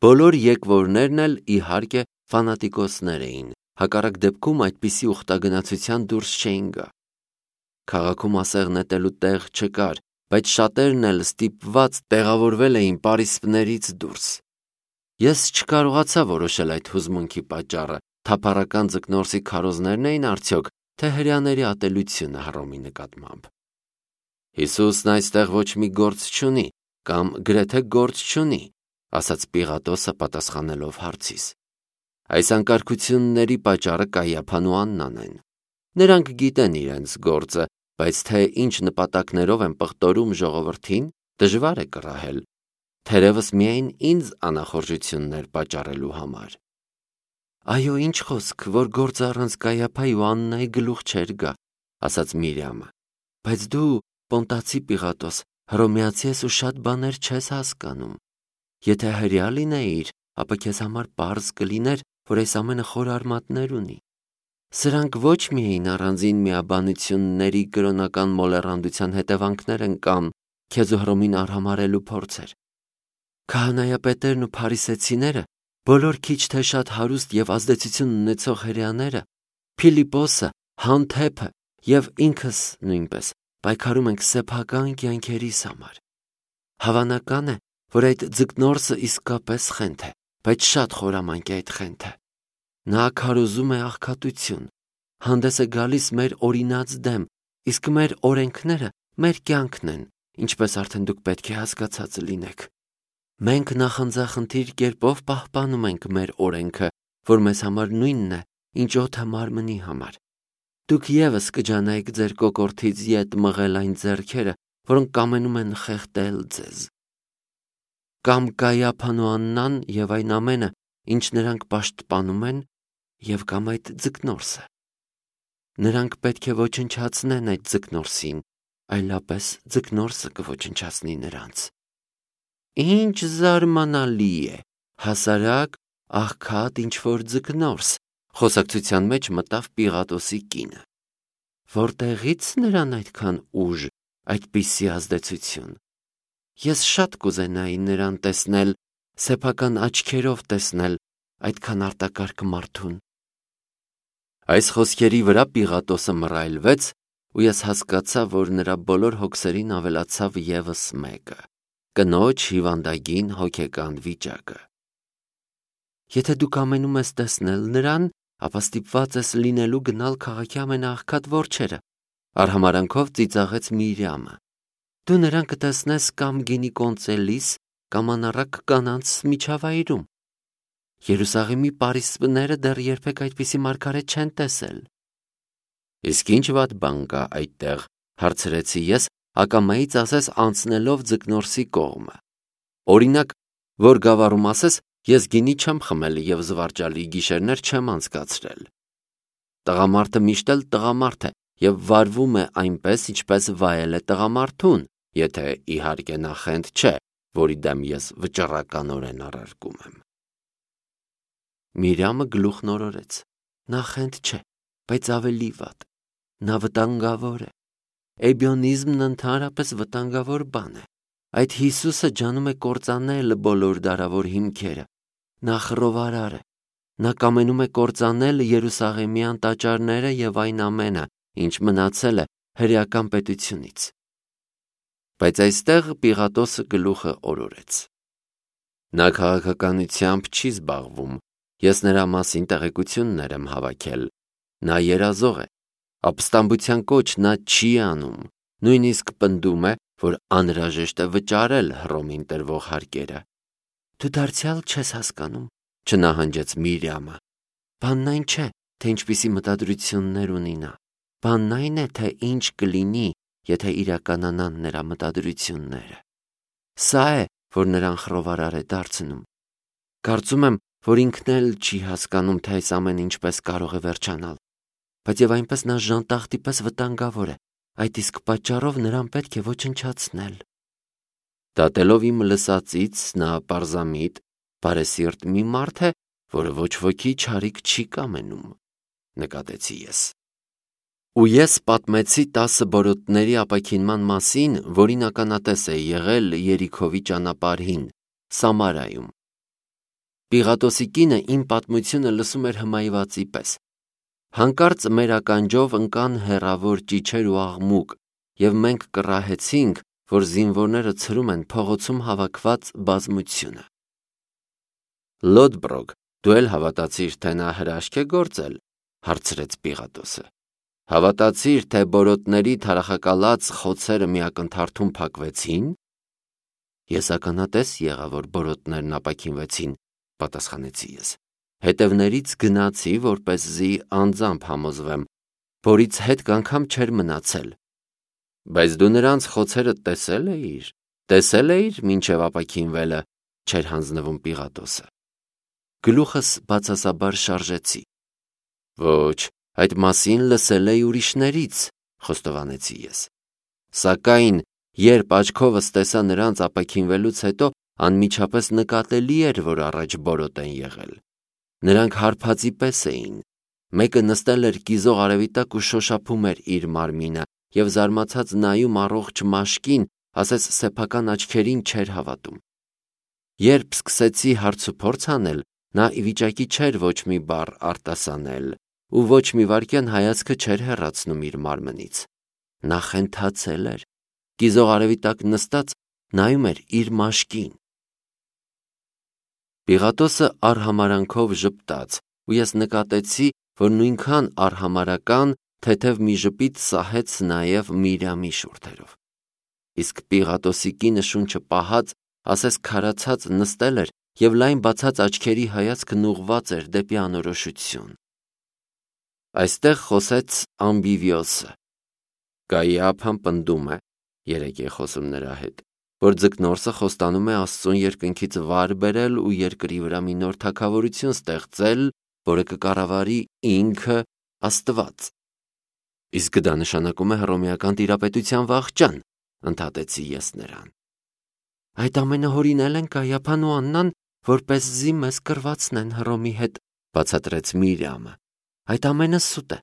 Բոլոր եկվորներն էլ իհարկե ֆանատիկոսներ էին, հակառակ դեպքում այդպիսի ուխտագնացության դուրս չէին գա։ Քաղաքում ասեղ նետելու տեղ չկար, բայց շատերն էլ ստիպված տեղավորվել էին պարիսպներից դուրս։ Ես չկարողացա որոշել այդ հուզմունքի պատճառը, թափառական ձկնորսի քարոզներն էին արդյոք, թե հրեաների ատելությունը Հռոմի նկատմամբ։ Հիսուսն այստեղ ոչ մի գործ չունի, կամ գրեթե գործ չունի, ասաց Պիղատոսը պատասխանելով հարցիս։ Այս անկարգությունների պատճառը Կայափան ու Աննան են։ Նրանք գիտեն իրենց գործը, բայց թե ինչ նպատակներով են պղտորում ժողովրդին, դժվար է կռահել, թերևս միայն ինձ անախորժություններ պատճառելու համար։ Այո, ինչ խոսք, որ գործը առանց Կայափայի ու Աննայի գլուխ չէր գա, ասաց Միրյամը, բայց դու, Պոնտացի Պիղատոս, հռոմեացի ես ու շատ բաներ չես հասկանում։ Եթե հրեա լինեիր, ապա քեզ համար պարզ կլիներ, որ այս ամենը խոր արմատներ ունի։ Սրանք ոչ միայն առանձին միաբանությունների կրոնական մոլեռանդության հետևանքներ են կամ քեզ ու Հռոմին արհամարհելու փորձեր։ Քահանայապետերն ու փարիսեցիները, բոլոր քիչ թե շատ հարուստ եւ ազդեցություն ունեցող հրեաները, Փիլիպոսը, Հանթեփը եւ ինքս նույնպես պայքարում ենք սեփական կյանքերիս համար։ Հավանական է, որ այդ ձկնորսը իսկապես խենթ է, բայց շատ խորամանկ է այդ խենթը։ Նա քարոզում է աղքատություն, հանդես է գալիս մեր օրինած դեմ, իսկ մեր օրենքները մեր կյանքն են, ինչպես արդեն դուք պետք է հասկացած լինեք։ Մենք նախանձախնդիր կերպով պահպանում ենք մեր օրենքը, որ մեզ համար նույնն է, ինչ օդը մարմնի համար։ Դուք ևս կջանայիք ձեր կոկորդից ետ մղել այն ձեռքերը, որոնք կամենում են խեղդել ձեզ։ Կամ Կայափան ու Աննան եւ այն ամենը, ինչ նրանք պաշտպանում են, եւ կամ այդ ձկնորսը։ Նրանք պետք է ոչնչացնեն այդ ձկնորսին, այլապես ձկնորսը կոչնչացնի նրանց։ Ինչ զարմանալի է, հասարակ, աղքատ ինչ-որ ձկնորս, խոսակցության մեջ մտավ Պիղատոսի կինը։ Որտեղից նրան այդքան ուժ, այդպիսի ազդեցություն։ Ես շատ կուզենայի նրան տեսնել, սեփական աչքերով տեսնել այդքան արտակարգ մարդուն։ Այս խոսքերի վրա Պիղատոսը մռայլվեց, ու ես հասկացա, որ նրա բոլոր հոգսերին ավելացավ ևս մեկը՝ կնոջ հիվանդագին հոգեկան վիճակը։ Եթե դու կամենում ես տեսնել նրան, ապա ստիպված ես լինելու գնալ քաղաքի ամենաաղքատ որջերը, արհամարանքով ծիծաղեց Միրյամը։ Դու նրան կտեսնես կամ գինի կոնծելիս, կամ անառակ կանանց միջավայրում։ Երուսաղեմի պարիսպները դեռ երբեք այդպիսի մարգարետ չեն տեսել։ Իսկ ինչ վատ բան կա այդտեղ, հարցրեցի ես, ակամայից ասես անցնելով ձկնորսի կողմը։ Օրինակ, որ գավառում ասես, ես գինի չեմ խմել եւ զվարճալի գիշերներ չեմ անցկացրել։ Տղամարդը միշտ էլ տղամարդ է եւ վարվում է այնպես, ինչպես վայել է տղամարդուն, եթե իհարկե նա խենթ չէ, որի դեմ ես վճռականորեն առարկում եմ։ Միրյամը գլուխն օրորեց։ Նա խենթ չէ, բայց ավելի վատ։ Նա վտանգավոր է։ Էբիոնիզմն ընդհանրապես վտանգավոր բան է։ Այդ Հիսուսը ջանում է կործանել բոլոր դարավոր հիմքերը։ Նա խռովարար է։ Նա կամենում է կործանել Երուսաղեմյան տաճարները եւ այն ամենը, ինչ մնացել է հրեական պետությունից։ Բայց այստեղ Պիղատոսը գլուխը օրորեց։ Նա քաղաքականությամբ չի զբաղվում։ Ես նրա մասին տեղեկություններ եմ հավաքել։ Նա երազող է։ Ապստամբության կոչ նա չի անում։ Նույնիսկ պնդում է, որ անհրաժեշտ է վճարել Հռոմին տրվող հարկերը։ Դու դարձյալ չես հասկանում, չնահանջեց Միրյամը։ Բանն այն չէ, թե ինչպիսի մտադրություններ ունի նա։ Բանն այն է, թե ինչ կլինի, եթե իրականանան նրա մտադրությունները։ Սա է, որ նրան խռովարար է դարձնում։ Կարծում եմ, որ ինքն էլ չի հասկանում, թե այս ամենը ինչպես կարող է վերջանալ։ Բայց եւ այնպես նա ժանտախտի պես վտանգավոր է։ Այդ իսկ պատճառով նրան պետք է ոչնչացնել։ Դատելով իմ լսածից նա պարզամիտ, բարեսիրտ մի մարդ է, որը ոչ ոքի չարիք չի կամենում, նկատեցի ես։ Ու ես պատմեցի 10 բորոտների ապաքինման մասին, որին ականատես է եղել Երիքովի ճանապարհին, Սամարայում։ Պիղատոսի կինը իմ պատմությունը լսում էր հմայվածի պես։ Հանկարծ մեր ականջով ընկան հեռավոր ճիչեր ու աղմուկ, և մենք կռահեցինք, որ զինվորները ցրում են փողոցում հավաքված բազմությունը։ Լոդբրոգ, դու էլ հավատացիր, թե նա հրաշք է գործել, հարցրեց Պիղատոսը։ Հավատացիր, թե բորոտների թարախակալած խոցերը մի ակնթարթում փակվեցին։ Ես ականատես եղա, որ բորոտներն ապաքինվեցին, պատասխանեցի ես։ Հետևներից գնացի, որպեսզի անձամբ համոզվեմ, որից հետք անգամ չէր մնացել։ Բայց դու նրանց խոցերը տեսել էիր մինչև ապաքինվելը, չէր հանձնվում Պիղատոսը։ Գլուխս բացասաբար շարժեցի։ Ոչ, այդ մասին լսել էի ուրիշներից, խոստովանեցի ես։ Սակայն, երբ աչքովս տեսա նրանց ապաքինվելուց հետո, անմիջապես նկատելի էր, որ առաջ բորոտ են եղել։ Նրանք հարբածի պես էին։ Մեկը նստել էր կիզող արևի տակ ու շոշափում էր իր մարմինը, և զարմացած նայում առողջ մաշկին, ասես սեփական աչքերին չէր հավատում։ Երբ սկսեցի հարցուփորձ անել, նա ի վիճակի չէր ոչ մի բառ արտասանել ու ոչ մի վայրկյան հայացքը չէր հեռացնում իր մարմնից։ Նա խենթացել էր, կիզող արևի տակ նստած նայում էր իր մաշկին։ Պիղատոսը արհամարանքով ժպտաց, ու ես նկատեցի, որ նույնքան արհամարական թեթև մի ժպիտ սահեց նաև Միրյամի շուրթերով։ Իսկ Պիղատոսի կինը շունչը պահած, ասես քարացած նստել էր և լայն բացած աչքերի հայացքն ուղղված էր դեպի անորոշություն։ Այստեղ խոսեց Ամբիվիոսը։ Կայիափան պնդում է, երեկ է խոսում նրա հետ, որ ձկնորսը խոստանում է Աստծուն երկնքից վար բերել ու երկրի վրա մի նոր թագավորություն ստեղծել, որը կկառավարի ինքը Աստված։ Իսկ դա նշանակում է հռոմեական տիրապետության վախճան, ընդհատեցի ես նրան։ Այդ ամենը հորինել են Կայիափան ու Աննան, որպեսզի մեզ կռվածնեն Հռոմի հետ, բացատրեց Միրյամը։ Այդ ամենը սուտ է,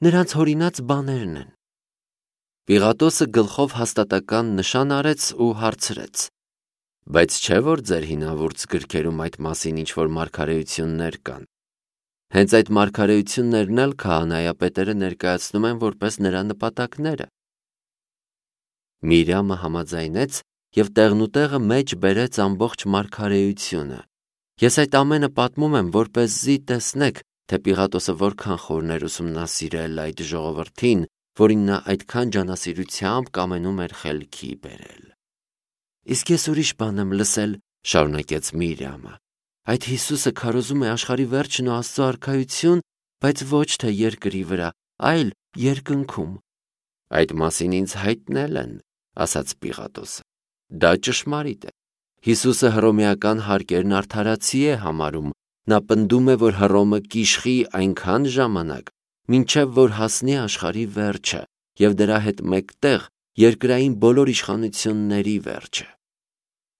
նրանց հորինած բաներն են։ Պիղատոսը գլխով հաստատական նշան արեց ու հարցրեց. Բայց չէ՞ որ ձեր հինավուրց գրքերում այդ մասին ինչ-որ մարգարեություններ կան։ Հենց այդ մարգարեություններն էլ քահանայապետերը ներկայացնում են որպես նրա նպատակները։ Միրյամը համաձայնեց և տեղնուտեղը մեջ բերեց ամբողջ մարգարեությունը։ Ես այդ ամենը պատմում եմ, որպեսզի տեսնեք, թե Պիղատոսը որքան խորն էր ուսումնասիրել այդ ժողովրդին, որին նա այդքան ջանասիրությամբ կամենում էր խելքի բերել։ Իսկ ես ուրիշ բան եմ լսել, շարունակեց Միրյամը։ Այդ Հիսուսը քարոզում է աշխարհի վերջն ու Աստծո արքայություն, բայց ոչ թե երկրի վրա, այլ երկնքում։ Այդ մասին ինձ հայտնել են, ասաց Պիղատոսը։ Դա ճշմարիտ է։ Հիսուսը հռոմեական հարկերն արդարացի է համարում։ Նա պնդում է, որ Հռոմը կիշխի այնքան ժամանակ, մինչև որ հասնի աշխարհի վերջը և դրա հետ մեկտեղ երկրային բոլոր իշխանությունների վերջը։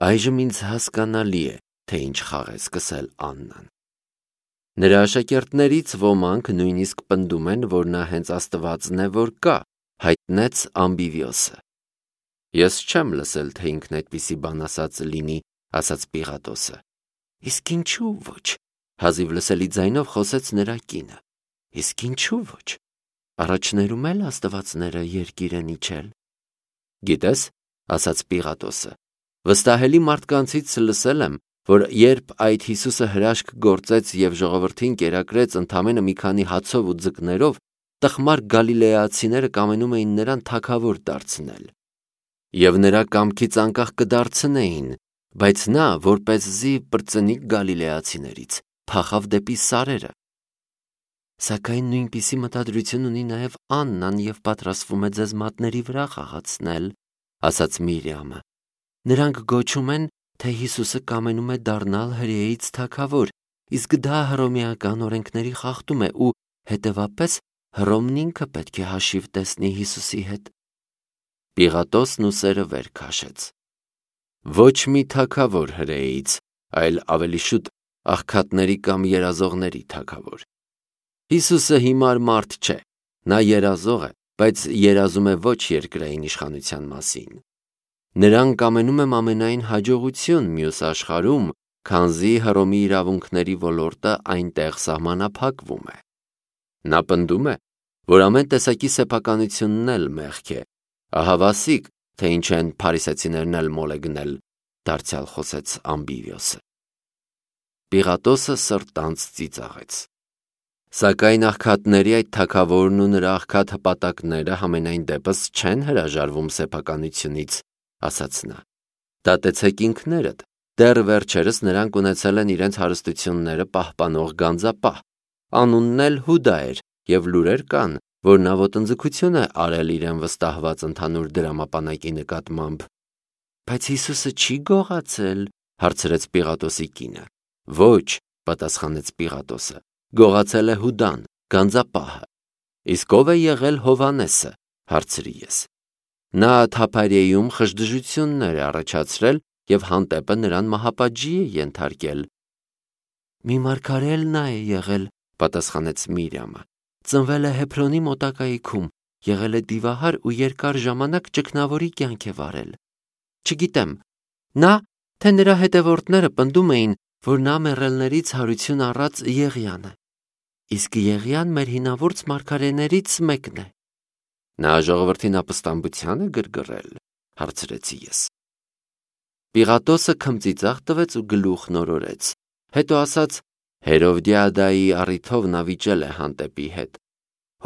Այժմ ինձ հասկանալի է, թե ինչ խաղ է սկսել Աննան։ Նրա աշակերտներից ոմանք նույնիսկ պնդում են, որ նա հենց Աստվածն է, որ կա, հայտնեց Ամբիվիոսը։ Ես չեմ լսել, թե ինքն այդպիսի բան ասած լինի, ասաց Պիղատոսը։ Իսկ ինչու ոչ, հազիվ լսելի ձայնով խոսեց նրա կինը։ Իսկ ինչու ոչ, առաջներում էլ աստվածները երկիր են իջել։ Գիտես, ասաց Պիղատոսը, վստահելի մարդկանցից լսել եմ, որ երբ այդ Հիսուսը հրաշք գործեց և ժողովրդին կերակրեց ընդամենը մի քանի հացով ու ձկներով, տխմար գալիլեացիները կամենում էին նրան թագավոր դարձնել։ Եվ նրա կամքից անկախ կդարձնեին, բայց նա, որպեսզի պրծնի գալիլեացիներից, փախավ դեպի սարերը։ Սակայն նույնպիսի մտադրություն ունի նաև Աննան և պատրաստվում է ձեզ մատների վրա խաղացնել, ասաց Միրյամը։ Նրանք գոչում են, թե Հիսուսը կամենում է դառնալ հրեից թագավոր, իսկ դա հռոմեական օրենքների խախտում է ու, հետևապես, Հռոմն ինքը պետք է հաշիվ տեսնի Հիսուսի հետ։ Պիղատոսն ուսերը վեր քաշեց։ Ոչ մի թագավոր հրեից, այլ ավելի շուտ աղքատների կամ երազողների թագավոր։ Հիսուսը հիմար մարդ չէ, նա երազող է, բայց երազում է ոչ երկրային իշխանության մասին։ Նրան կամենում եմ ամենայն հաջողություն մյուս աշխարհում, քանզի Հռոմի իրավունքների ոլորտը այնտեղ սահմանափակվում է։ Նա պնդում է, որ ամեն տեսակի սեփականությունն էլ մեղք է, ահա վասիկ, թե ինչ են փարիսեցիներն էլ մոլեգնել, դարձյալ խոսեց Ամբիվիոսը։ Պիղատոսը սրտանց ծիծաղեց։ Սակայն աղքատների այդ թագավորն ու նրա աղքատ հպատակները համենայն դեպս չեն հրաժարվում սեփականությունից, ասաց նա։ Դատեցեք ինքներդ, դեռ վերջերս նրանք ունեցել են իրենց հարստությունները պահպանող գանձապահ, անունն էլ Հուդա էր, և լուրեր կան, որ նա ոտնձգություն է արել իրեն վստահված ընդհանուր դրամապանակի նկատմամբ։ Բայց Հիսուսը չի գողացել, հարցրեց Պիղատոսի կինը։ Ոչ, պատասխանեց Պիղատոսը, գողացել է Հուդան, գանձապահը։ Իսկ ով է եղել Հովհաննեսը, հարցրի ես։ Նա Թափարիեում խժդժություններ է առաջացրել և հանդեպը նրան մահապատժի է ենթարկել։ Մի մարգարե էլ նա է եղել, պատասխանեց Միրյամը։ Ծնվել է Հեբրոնի մոտակայքում, եղել է դիվահար ու երկար ժամանակ ճգնավորի կյանք է վարել։ Չգիտեմ, նա, թե նրա հետևորդները պնդում էին, որ նա մեռելներից հարություն առած Եղիան է։ Իսկ Եղիան մեր հինավուրց մարգարեներից մեկն է։ Նա ժողովրդին ապստամբության է գրգռել, հարցրեցի ես։ Պիղատոսը քմծիծաղ տվեց ու գլուխ նորորեց, հետո ասաց. Հերովդիադայի առիթով նա վիճել է հանդեպի հետ։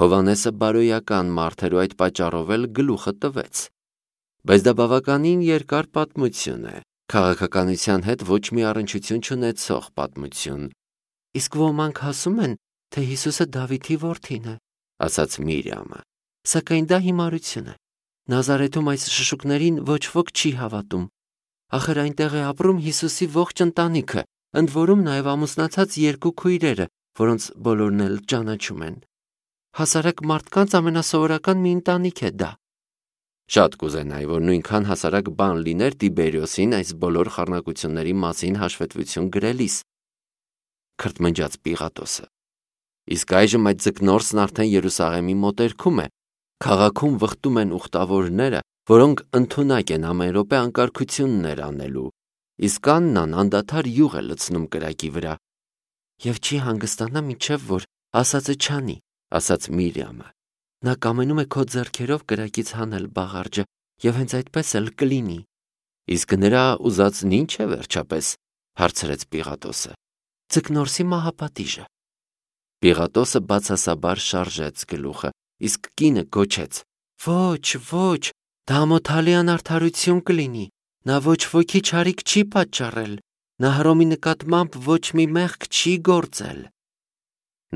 Հովհաննեսը բարոյական մարդ էր ու այդ պատճառով էլ գլուխը տվեց։ Բայց դա բավականին երկար պատմություն է, քաղաքականության հետ ոչ մի առնչություն չունեցող պատմություն։ Իսկ ոմանք ասում են, թե Հիսուսը Դավիթի որդին է, ասաց Միրյամը։ Սակայն դա հիմարություն է։ Նազարեթում այս շշուկներին ոչ ոք չի հավատում։ Ախր այնտեղ է ապրում Հիսուսի ողջ ընտանիքը, ընդ որում նաև ամուսնացած երկու քույրերը, որոնց բոլորն էլ ճանաչում են։ Հասարակ մարդկանց ամենասովորական մի ընտանիք է դա։ Շատ կուզենայի, որ նույնքան հասարակ բան լիներ Տիբերիոսին այս բոլոր խառնակությունների մասին հաշվետվություն գրելիս, քրթմնջաց Պիղատոսը։ Իսկ այժմ այդ ձկնորսն արդեն Երուսաղեմի մոտերքում է, քաղաքում վխտում են ուխտավորները, որոնք ընդունակ են ամեն րոպե անկարգություններ անելու, իսկ Աննան անդադար յուղ է լցնում կրակի վրա։ Եվ չի հանգստանա մինչև որ ասածը չանի, ասաց Միրյամը։ Նա կամենում է քո ձեռքերով կրակից հանել բաղարջը, և հենց այդպես էլ կլինի։ Իսկ նրա ուզածն ինչ է վերջապես, հարցրեց Պիղատոսը։ Ձկնորսի մահապատիժը։ Պիղատոսը բացասաբար շարժեց գլուխը, իսկ կինը գոչեց. Ոչ, ոչ, դա ամոթալի անարդարություն կլինի։ Նա ոչ ոքի չարիք չի պատճառել։ Նա Հռոմի նկատմամբ ոչ մի մեղք չի գործել։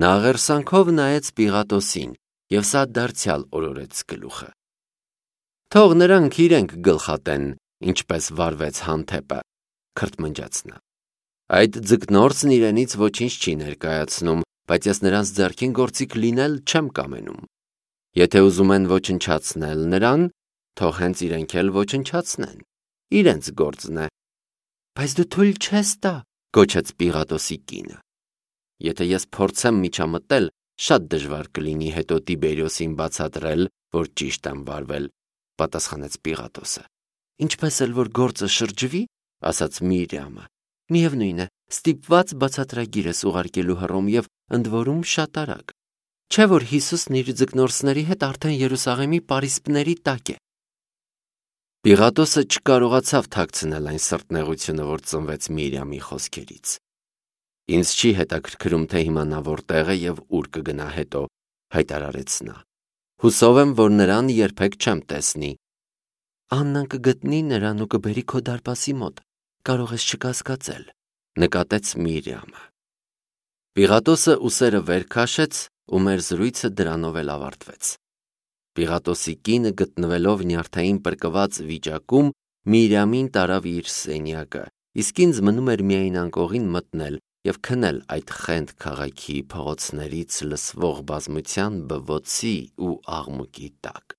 Նա աղերսանքով նայեց Պիղատոսին, և սա դարձյալ օրորեց գլուխը։ Թող նրանք իրենք գլխատեն, ինչպես վարվեց հանդեպը, քրթմնջաց նա։ Այդ ձկնորսն իրենից ոչինչ չի ներկայացնում, բայց ես նրանց ձեռքին գործիք լինել չեմ կամենում։ Եթե ուզում են ոչնչացնել նրան, թող հենց իրենք էլ ոչնչացնեն։ Իրենց գործն է։ Բայց դու թույլ չես տա, գոչեց Պիղատոսի կինը։ Եթե ես փորձեմ միջամտել, շատ դժվար կլինի հետո Տիբերիոսին բացատրել, որ ճիշտ եմ վարվել, պատասխանեց Պիղատոսը։ Ինչպես էլ որ գործը շրջվի, ասաց Միրյամը, միևնույն է, ստիպված բացատրագիր ես ուղարկելու Հռոմ և ընդ որում շատ արագ։ Չէ՞ որ Հիսուսն իր ձկնորսների հետ արդեն Երուսաղեմի պարիսպների տակ է։ Պիղատոսը չկարողացավ թաքցնել այն սրտնեղությունը, որ ծնվեց Միրյամի խոսքերից։ Ինձ չի հետաքրքրում, թե հիմա նա որտեղ է և ուր կգնա հետո, հայտարարեց նա։ Հուսով եմ, որ նրան երբեք չեմ տեսնի։ Աննան կգտնի նրան ու կբերի քո դարպասի մոտ, կարող ես չկասկածել, նկատեց Միրյամը։ Պիղատոսը ուսերը վեր քաշեց ու մեր զրույցը դրանով էլ ավարտվեց։ Պիղատոսի կինը գտնվելով նյարդային պրկված վիճակում Միրյամին տարավ իր սենյակը, իսկ ինձ մնում էր միայն անկողին մտնել և քնել այդ խենթ քաղաքի փողոցներից լսվող բազմության բվոցի ու աղմուկի տակ։